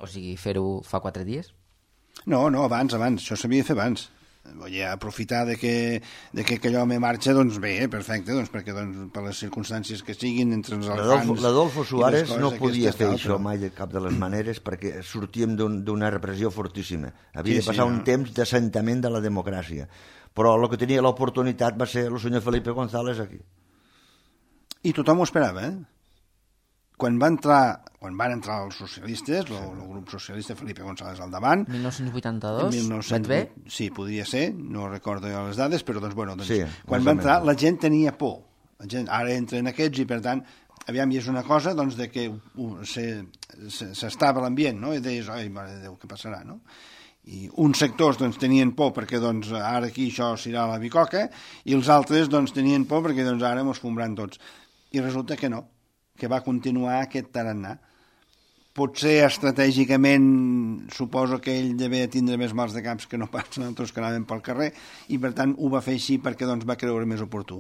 O sigui, fer-ho fa 4 dies?
No, abans, això s'havia de fer abans. Vull dir, aprofitar de que aquell home marxa, doncs bé, perfecte, doncs perquè per les circumstàncies que siguin entre els elefants...
L'Adolfo Suárez no podia fer això mai de cap de les maneres perquè sortíem d'una repressió fortíssima. Havia de passar un temps d'assentament de la democràcia. Però el que tenia l'oportunitat va ser el senyor Felipe González aquí.
I tothom ho esperava, Quan van entrar els socialistes, el grup socialista Felipe González al davant...
1982? Vaig bé?
Sí, podria ser, no recordo les dades, però
sí,
quan va entrar la gent tenia por. Ara entren aquests i, per tant, aviam, i és una cosa doncs, de que s'estava l'ambient, no? I deies, ai, mare de Déu, què passarà, no? I uns sectors doncs, tenien por perquè doncs, ara aquí això s'irà a la bicoca i els altres doncs, tenien por perquè doncs, ara mos fumran tots. I resulta que no, que va continuar aquest tarannà. Potser estratègicament suposo que ell devia tindre més mals de caps que no pas nosaltres que anàvem pel carrer i per tant ho va fer així perquè doncs, va creure més oportú.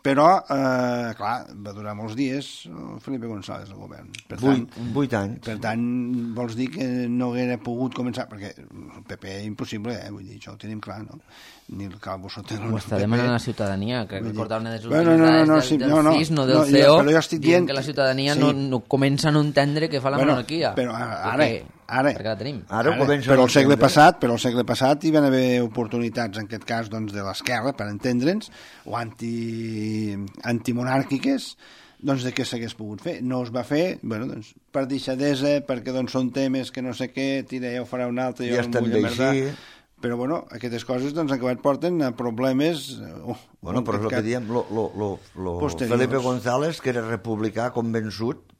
Però, clar, va durar molts dies Felipe González al govern. Per
8 anys.
Per tant, vols dir que no haguera pogut començar, perquè el PP impossible, vull dir, això ho tenim clar, no? Ni el Calvo Sotelo...
Ho està demanant a la ciutadania, crec que recordar una de les últimes dades del CIS, no del CEO, dient que la ciutadania no comença a no entendre que fa la monarquia.
Però ara,
perquè la tenim.
Però el segle passat hi van haver oportunitats, en aquest cas, doncs, de l'esquerra, per entendre'ns, o antimonàrquiques, doncs de què s'hagués pogut fer. No es va fer, bueno, doncs, per deixadesa, perquè doncs, són temes que no sé què, tira, ja ho farà un altre, jo no em vull amerdar. Però, bueno, aquestes coses doncs, acabat porten a problemes...
Bueno, però és el que diem, Felipe González, que era republicà convençut,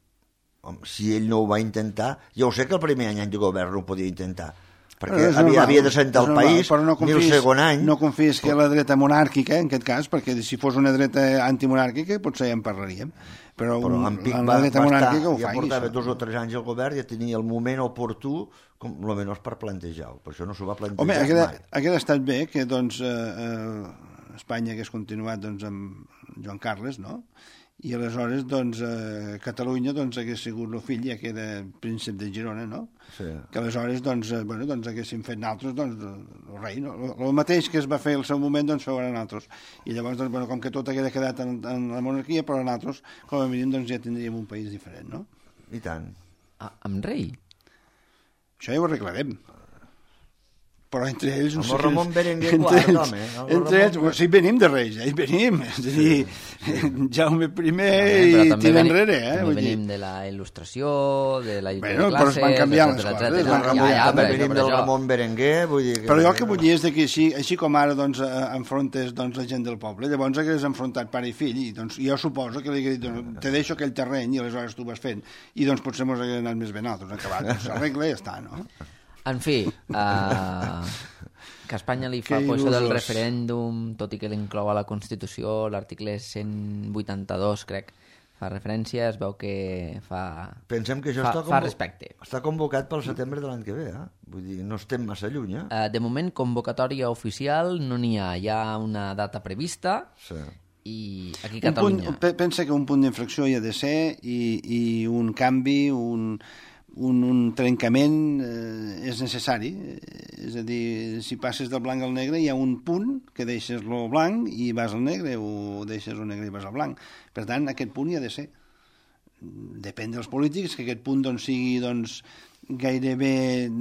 si ell no ho va intentar, ja ho sé que el primer any de govern no ho podia intentar, perquè havia de sentar el país, ni el segon any...
No confies que la dreta monàrquica, en aquest cas, perquè si fos una dreta antimonàrquica potser ja en parlaríem, però la dreta monàrquica ho fa.
Ja portava 2 o 3 anys al govern, ja tenia el moment oportú, com almenys per plantejar-ho, per això no s'ho va plantejar mai.
Home, hauria estat bé que doncs, Espanya hagués continuat doncs, amb Joan Carles, no? I aleshores doncs, Catalunya doncs, hagués sigut el fill, ja que era príncep de Girona, no?
Sí.
Que aleshores doncs, haguéssim fet nosaltres doncs, el rei, no? El mateix que es va fer al seu moment doncs, feuran nosaltres. I llavors, doncs, com que tot hagués quedat en la monarquia, però nosaltres, com a mínim, doncs, ja tindríem un país diferent, no?
I tant.
Amb rei?
Això ja ho arreglarem. Però entre ells...
Amb el Ramon Berenguer quart, home.
Entre ells, sí, venim de Reis, ja hi venim. És a dir, Jaume I i tira enrere.
També venim de la il·lustració, de la lluita de classes...
Però es van canviar les coses.
També venim del Ramon Berenguer, vull dir...
Però jo el que vull dir és que així com ara enfrontes la gent del poble, llavors hagués enfrontat pare i fill, i jo suposo que li hagués dit, te deixo aquell terreny i aleshores tu vas fent, i doncs potser mos hagués anat més bé nosaltres, acabat, s'arregla i ja està, no?
En fi, que Espanya li fa por això del referèndum, tot i que l'inclou a la Constitució, l'article 182, crec, fa referència, es veu que
Pensem que això
fa respecte.
Està convocat pel setembre de l'any que ve, Vull dir, no estem massa lluny,
De moment, convocatòria oficial no n'hi ha. Hi ha una data prevista i aquí a Catalunya...
Pensa que un punt d'inflexió hi ha de ser i un canvi, un trencament és necessari, és a dir, si passes del blanc al negre hi ha un punt que deixes el blanc i vas al negre, o deixes el negre i vas al blanc. Per tant, aquest punt hi ha de ser. Depèn dels polítics que aquest punt doncs, sigui doncs, gairebé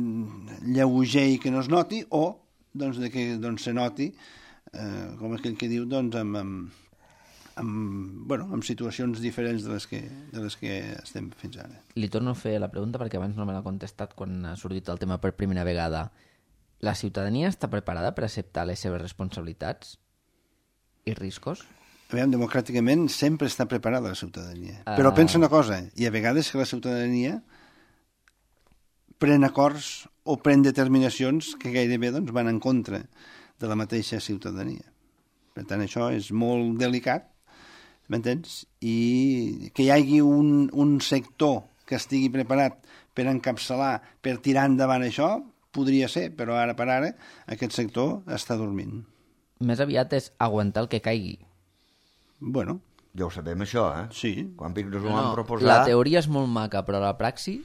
lleuger i que no es noti, o doncs, que doncs, se noti, com aquell que diu, doncs, amb situacions diferents de les que estem fins ara.
Li torno a fer la pregunta perquè abans no me l'ha contestat quan ha sortit el tema per primera vegada. La ciutadania està preparada per acceptar les seves responsabilitats i riscos?
Aviam, democràticament sempre està preparada la ciutadania. Però pensa una cosa, i a vegades que la ciutadania pren acords o pren determinacions que gairebé doncs, van en contra de la mateixa ciutadania. Per tant, això és molt delicat, m'entens? I que hi hagi un sector que estigui preparat per encapçalar, per tirar endavant això, podria ser, però ara per ara aquest sector està dormint.
Més aviat és aguantar el que caigui.
Bueno.
Ja ho sabem, això,
Sí.
Quan Vic nos ho van proposar...
La teoria és molt maca, però la praxi...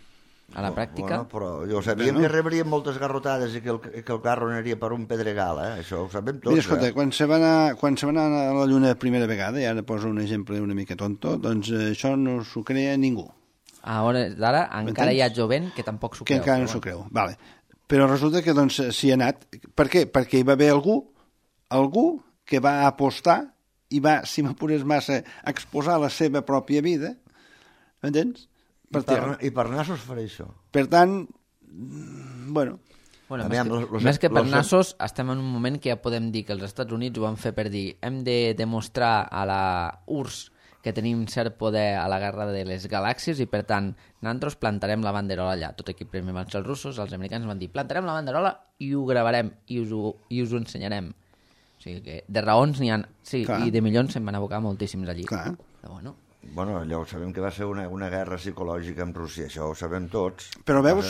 a la pràctica.
Bueno, però jo sabíem que rebríem moltes garrotades i que el carro aniria per un pedregal, això ho sabem tots.
Mira, escolta, quan se va anar a la Lluna la primera vegada, i ara poso un exemple una mica tonto, doncs això no s'ho crea ningú.
A hores d'ara encara hi ha jovent que tampoc s'ho creu.
Que encara no s'ho creu, vale. Però resulta que doncs s'hi ha anat. Per què? Perquè hi va haver algú que va apostar i va, si m'apures massa, exposar la seva pròpia vida, m'entens?
I per nassos faré això.
Per tant, bueno...
Més que per nassos, estem en un moment que ja podem dir que els Estats Units ho van fer per dir hem de demostrar a la URSS que tenim cert poder a la guerra de les galàxies i, per tant, nosaltres plantarem la banderola allà. Tot aquí primer van ser els russos, els americans van dir plantarem la banderola i ho gravarem i us ho ensenyarem. O sigui que de raons n'hi ha... Sí, clar. I de milions se'n van abocar moltíssims allí.
Clar.
Però
bueno, allò sabem que va ser una guerra psicològica amb Rússia, això ho sabem tots.
Però veus,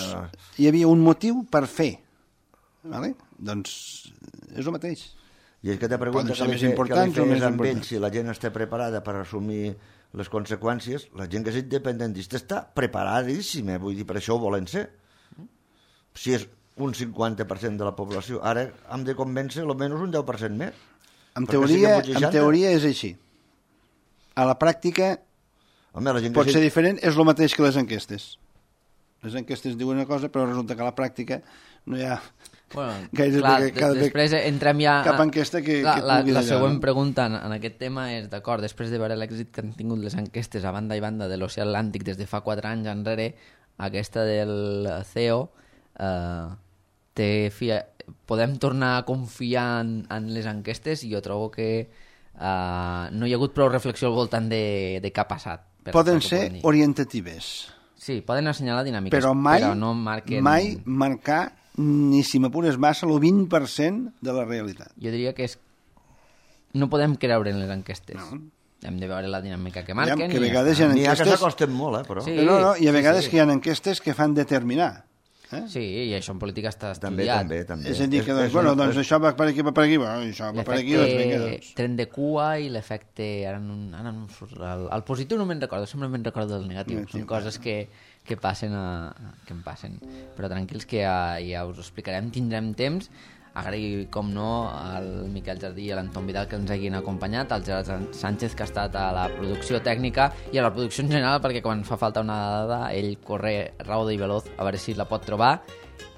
hi havia un motiu per fer. Vale? Doncs és el mateix.
I és que te pregunta que li feies amb ells si la gent està preparada per assumir les conseqüències. La gent que és independentista està preparadíssima, vull dir, per això ho volen ser. Si és un 50% de la població, ara hem de convèncer almenys un 10% més.
En teoria és així. A la pràctica pot ser diferent, és el mateix que les enquestes. Les enquestes diuen una cosa, però resulta que a la pràctica no hi ha...
Bueno, després entrem ja
cap enquesta que
la següent pregunta en aquest tema és, d'acord, després de veure l'èxit que han tingut les enquestes a banda i banda de l'Oceà Atlàntic des de fa 4 anys enrere, aquesta del CEO podem tornar a confiar en les enquestes, i jo trobo que no hi ha hagut prou reflexió al voltant de què ha passat.
Poden ser orientatives.
Sí, poden assenyalar dinàmiques,
però
no marquen...
mai marcar ni si m'apures massa el 20% de la realitat.
Jo diria que no podem creure en les enquestes. No. Hem de veure la dinàmica que marquen.
Que a vegades hi ha enquestes...
que s'acosten molt, però...
Sí,
i a vegades que hi ha enquestes que fan determinar.
Sí, i això en política està estudiat.
També.
És a dir, que doncs això va per aquí, va per aquí, això va per aquí,
doncs tren de cua i l'efecte... Ara no surt el positiu no me'n recordo, sempre me'n recordo del negatiu. Són coses que passen, que em passen. Però tranquils que ja us ho explicarem, tindrem temps. Agrair, com no, al Miquel Jardí i a l'Anton Vidal que ens hagin acompanyat, al Gerard Sánchez, que ha estat a la producció tècnica i a la producció en general, perquè quan fa falta una dada ell corre raudo i veloz a veure si la pot trobar.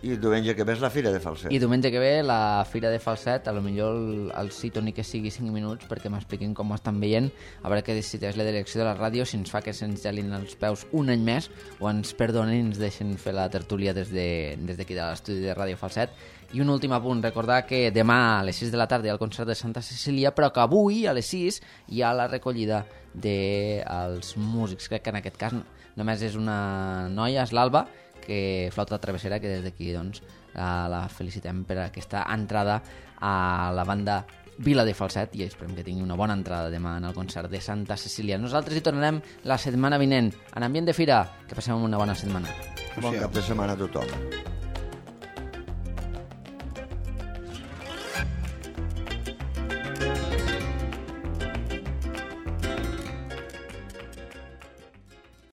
I el diumenge que ve és la Fira de Falset.
I diumenge que ve la Fira de Falset, a lo millor el cito ni que sigui 5 minuts perquè m'expliquin com ho estan veient, a veure què decideix la direcció de la ràdio, si ens fa que se'ns gelin els peus un any més o ens perdonen i ens deixen fer la tertúlia des d'aquí de l'estudi de Ràdio Falset. I un últim apunt, recordar que demà a les 6 de la tarda hi ha el concert de Santa Cecília, però que avui a les 6 hi ha la recollida dels músics. Crec que en aquest cas només és una noia, és l'Alba, que flauta travessera, que des d'aquí doncs, la felicitem per aquesta entrada a la banda Vila de Falset, i esperem que tingui una bona entrada demà en el concert de Santa Cecília. Nosaltres hi tornarem la setmana vinent en ambient de fira. Que passem una bona setmana.
Bon cap de setmana a tothom.